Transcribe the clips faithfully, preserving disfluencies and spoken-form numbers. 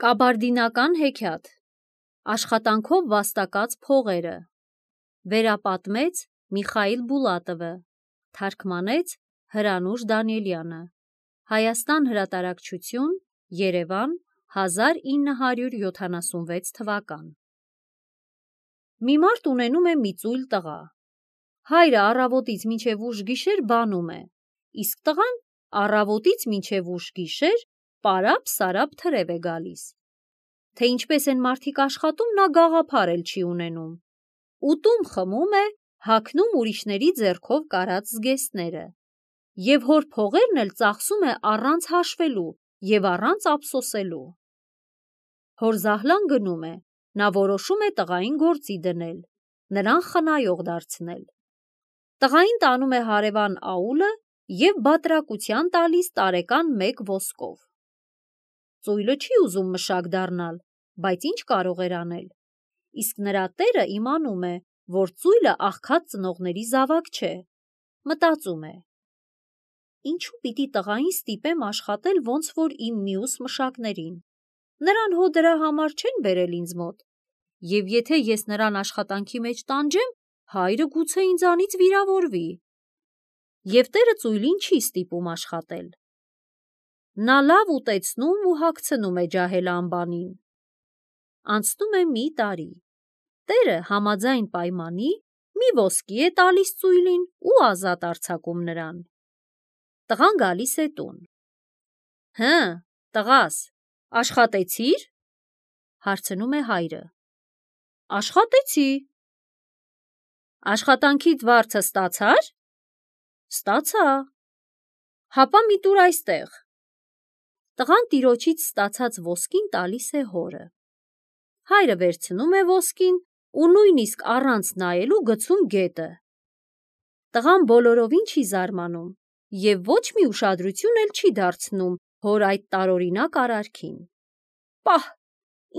Կաբարդինական հեքիաթ, աշխատանքով վաստակած փողերը, վերապատմեց Միխայիլ Բուլատովը, թարգմանեց Հրանուշ Դանիելյանը, Հայաստան հրատարակչություն, Երևան, հազար ինը հարյուր յոթանասունվեց թվական։ Մի մարդ ունենում է մի ծույլ տղա։ Հայրը առավոտից մինչև ուշ գիշեր բանում է, իսկ տղան առավոտից մինչև ուշ գիշեր պարապ-սարապ թրև է գալիս։ Թե ինչպես են մարդիկ աշխատում, նա գաղափար էլ չի ունենում։ Ուտում խմում է, հագնում ուրիշների ձեռքով կարած զգեստները, և հոր փողերն էլ ծախսում է առանց հաշվելու և առանց ափսոսելու։ Հոր զահլան գնում է, նա որոշում է տղային գործի դնել, նրան խնայող դարձնել։ Տղային տանում է հարևան աուլը և բատրակության տալիս տարեկան մեկ ոսկով։ Ծույլը չի ուզում մշակ դառնալ, բայց ինչ կարող էր անել։ Իսկ նրա տերը իմանում է, որ ծույլը աղքատ ծնողների զավակ չէ, մտածում է. ինչու պիտի տղային ստիպեմ աշխատել ոնց որ իմ մյուս մշակներին, նրան հո դրա համար չեն բերել ինձ մոտ, և եթե ես նրան աշխատանքի մեջ տանջեմ, հայրը գուցե ինձանից վիրավորվի։ Եվ տերը ծույլին չի ստիպում աշխատել։ Նա լավ ուտեցնում ու հագցնում է ջահել-ամբանին։ Անցնում է մի տարի, տերը համաձայն պայմանի մի ոսկի է տալիս ծույլին ու ազատ արձակում նրան։ Տղան գալիս է տուն։ Հը, տղաս, աշխատեցի՞ր, հարցնում է հայրը։ Աշխատեցի։ Աշխատանքիդ վարձը ստացա՞ր։ Ստացա։ Հապա մի տուր այստեղ։ Տղան տիրոջից ստացած ոսկին տալիս է հորը։ Հայրը վերցնում է ոսկին ու նույնիսկ առանց նայելու գցում գետը։ Տղան բոլորովին չի զարմանում և ոչ մի ուշադրություն էլ չի դարձնում հոր այդ տարօրինակ արարքին։ Պահ,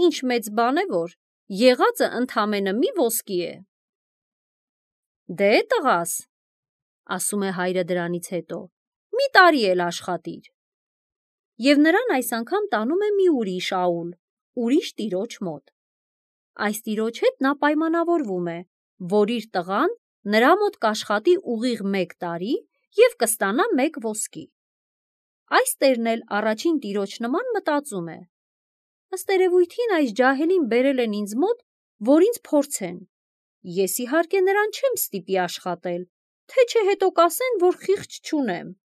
ինչ մեծ բան է, որ եղածը ընդամենը մի ոսկի է։ Դե տղաս, ասում է հայրը դրանից հետո, մի տարի էլ աշխատիր։ Եվ նրան այս անգամ տանում է մի ուրիշ աուլ, ուրիշ տիրոջ մոտ։ Այս տիրոջ հետ նա պայմանավորվում է, որ իր տղան նրա մոտ կաշխատի ուղիղ մեկ տարի և կստանա մեկ ոսկի։ Այս տերն էլ առաջին տիրոջ նման մտածում է. ըստ երևույթին այս ջահելին բերել են ինձ մոտ, որ ինձ փորձեն։ Ես իհարկե նրան չեմ ստիպի աշխատել, թե չէ հետո կասեն, որ խիղճ չունեմ։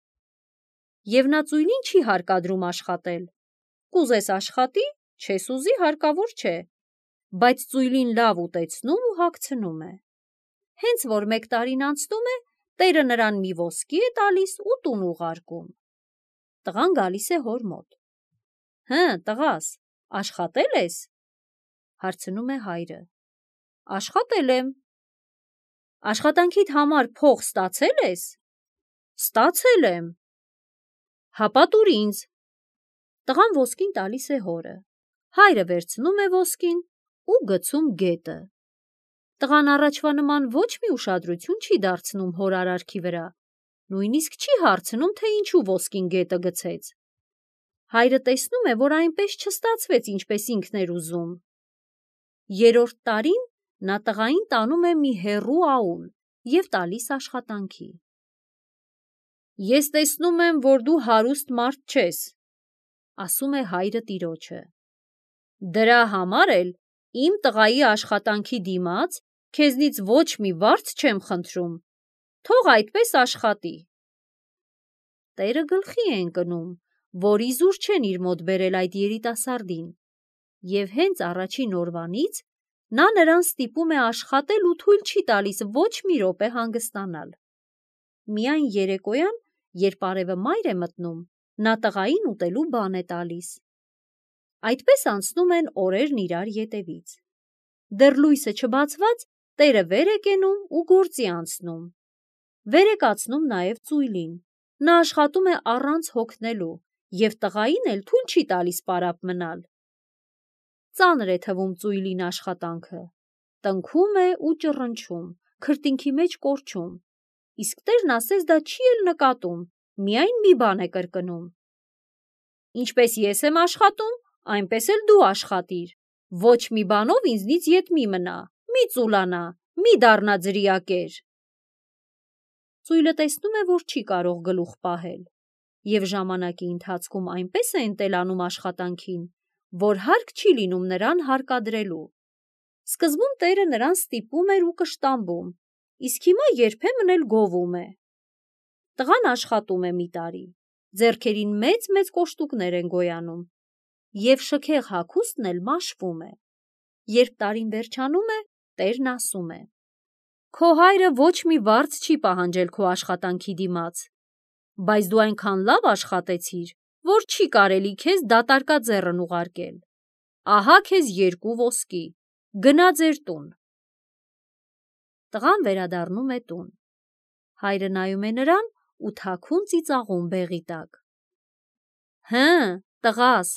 Եվ նա ծույլին չի հարկադրում աշխատել։ Կուզես աշխատի, չես ուզի հարկավոր չէ, բայց ծույլին լավ ուտեցնում ու հագցնում է։ Հենց որ մեկ տարին անցնում է, տերը նրան մի ոսկի է տալիս ու տուն ուղարկում։ Տղան գալիս է հոր մոտ։ Հը, տղաս, աշխատե՞լ ես, հարցնում է հայրը։ Աշխատել եմ։ Աշխատանքիդ համար փող ստացե՞լ ես։ Ստացել եմ։ Հապա տուր ինձ։ Տղան ոսկին տալիս է հորը։ Հայրը վերցնում է ոսկին ու գցում գետը։ Տղան առաջվա նման ոչ մի ուշադրություն չի դարձնում հոր արարքի վրա, նույնիսկ չի հարցնում, թե ինչու ոսկին գետը գցեց։ Հայրը տեսնում է, որ այնպես չստացվեց, ինչպես ինքն էր ուզում։ Երրորդ տարին նա տղային տանում է մի հեռու աուլ և տալիս աշխատանքի։ Ես տեսնում եմ, որ դու հարուստ մարդ չես, ասում է հայրը տիրոջը։ Դրա համար էլ իմ տղայի աշխատանքի դիմաց քեզնից ոչ մի վարձ չեմ խնդրում, թող այդպես աշխատի։ Տերը գլխի է ընկնում, որ իզուր չեն իր մոտ բերել այդ երիտասարդին, և հենց առաջին օրվանից նա նրան ստիպում է աշխատել ու թույլ չի տալիս ոչ մի րոպե հանգստանալ։ Միայն երեկոյան, երբ արևը մայր է մտնում, նա տղային ուտելու բան է տալիս։ Այդպես անցնում են օրերն իրար ետևից։ Դեռ լույսը չբացված, տերը վեր է կենում ու գործի անցնում։ Վեր է կացնում նաև ծույլին։ Նա աշխատում է առանց հոգնելու և տղային էլ թույլ չի տալիս պարապ մնալ։ Ծանր է թվում ծույլին աշխատանքը։ Տնքում է ու ճռնչում, քրտինքի մեջ կորչում, իսկ տերն ասես դա չի էլ նկատում, միայն մի բան է կրկնում. ինչպես ես եմ աշխատում, այնպես էլ դու աշխատիր, ոչ մի բանով ինձնից ետ մի մնա, մի ծուլանա, մի դառնա ձրիակեր։ Ծույլը տեսնում է, որ չի կարող գլուխ պահել, և ժամանակի ընթացքում այնպես է ընտելանում աշխատանքին, որ հարկ չի լինում նրան հարկադրելու։ Սկզբում տերը նրան ստիպում էր ու կշտամբում, իսկ հիմա երբեմն էլ գովում է։ Տղան աշխատում է մի տարի, ձեռքերին մեծ-մեծ կոշտուկներ են գոյանում, և շքեղ հագուստն էլ մաշվում է։ Երբ տարին վերջանում է, տերն ասում է. «Քո հայրը ոչ մի վարձ չի պահանջել քո աշխատանքի դիմաց, բայց դու այնքան լավ աշխատեցիր, որ չի կարելի քեզ դատարկաձեռն ուղարկել։ Ահա քեզ երկու ոսկի, գնա ձեր տուն»։ Տղան վերադառնում է տուն։ Հայրը նայում է նրան ու թաքուն ծիծաղում բեղի տակ։ «Հը, տղաս,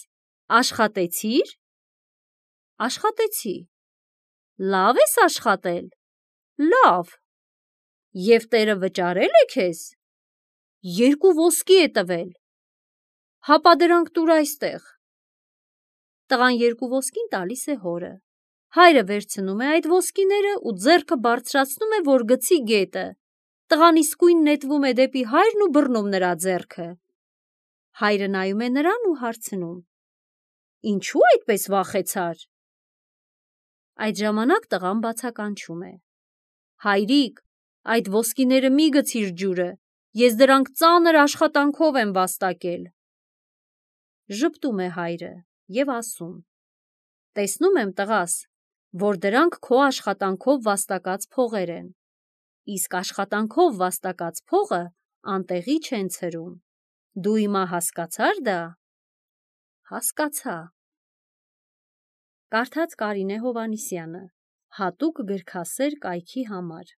աշխատեցի՞ր»։ «Աշխատեցի»։ «Լավ ես աշխատել»։ «Լավ»։ «Եվ տերը վճարե՞լ է քեզ»։ «Երկու ոսկի է տվել»։ «Հապա դրանք տուր այստեղ»։ Տղան երկու ոսկին տալիս է հորը։ Հայրը վերցնում է այդ ոսկիները ու ձեռքը բարձրացնում է, որ գցի գետը։ Տղան իսկույն նետվում է դեպի հայրն ու բռնում նրա ձեռքը։ Հայրը նայում է նրան ու հարցնում. «Ինչու այդպես վախեցար»։ Այդ ժամանակ տղան բացականչում է. «Հայրիկ, այդ ոսկիները մի գցիր ջուրը, ես դրանք ծանր աշխատանքով եմ վաստակել»։ Ժպտում է հայրը և ասում. «Տեսնում եմ, տղաս, որ դրանք քո աշխատանքով վաստակած փողեր են, իսկ աշխատանքով վաստակած փողը անտեղի չեն ցրում։ Դու հիմա հասկացա՞ր դա»։ Հասկացա։ Կարդաց Կարինե Հովհաննիսյանը, հատուկ գրքասեր կայքի համար։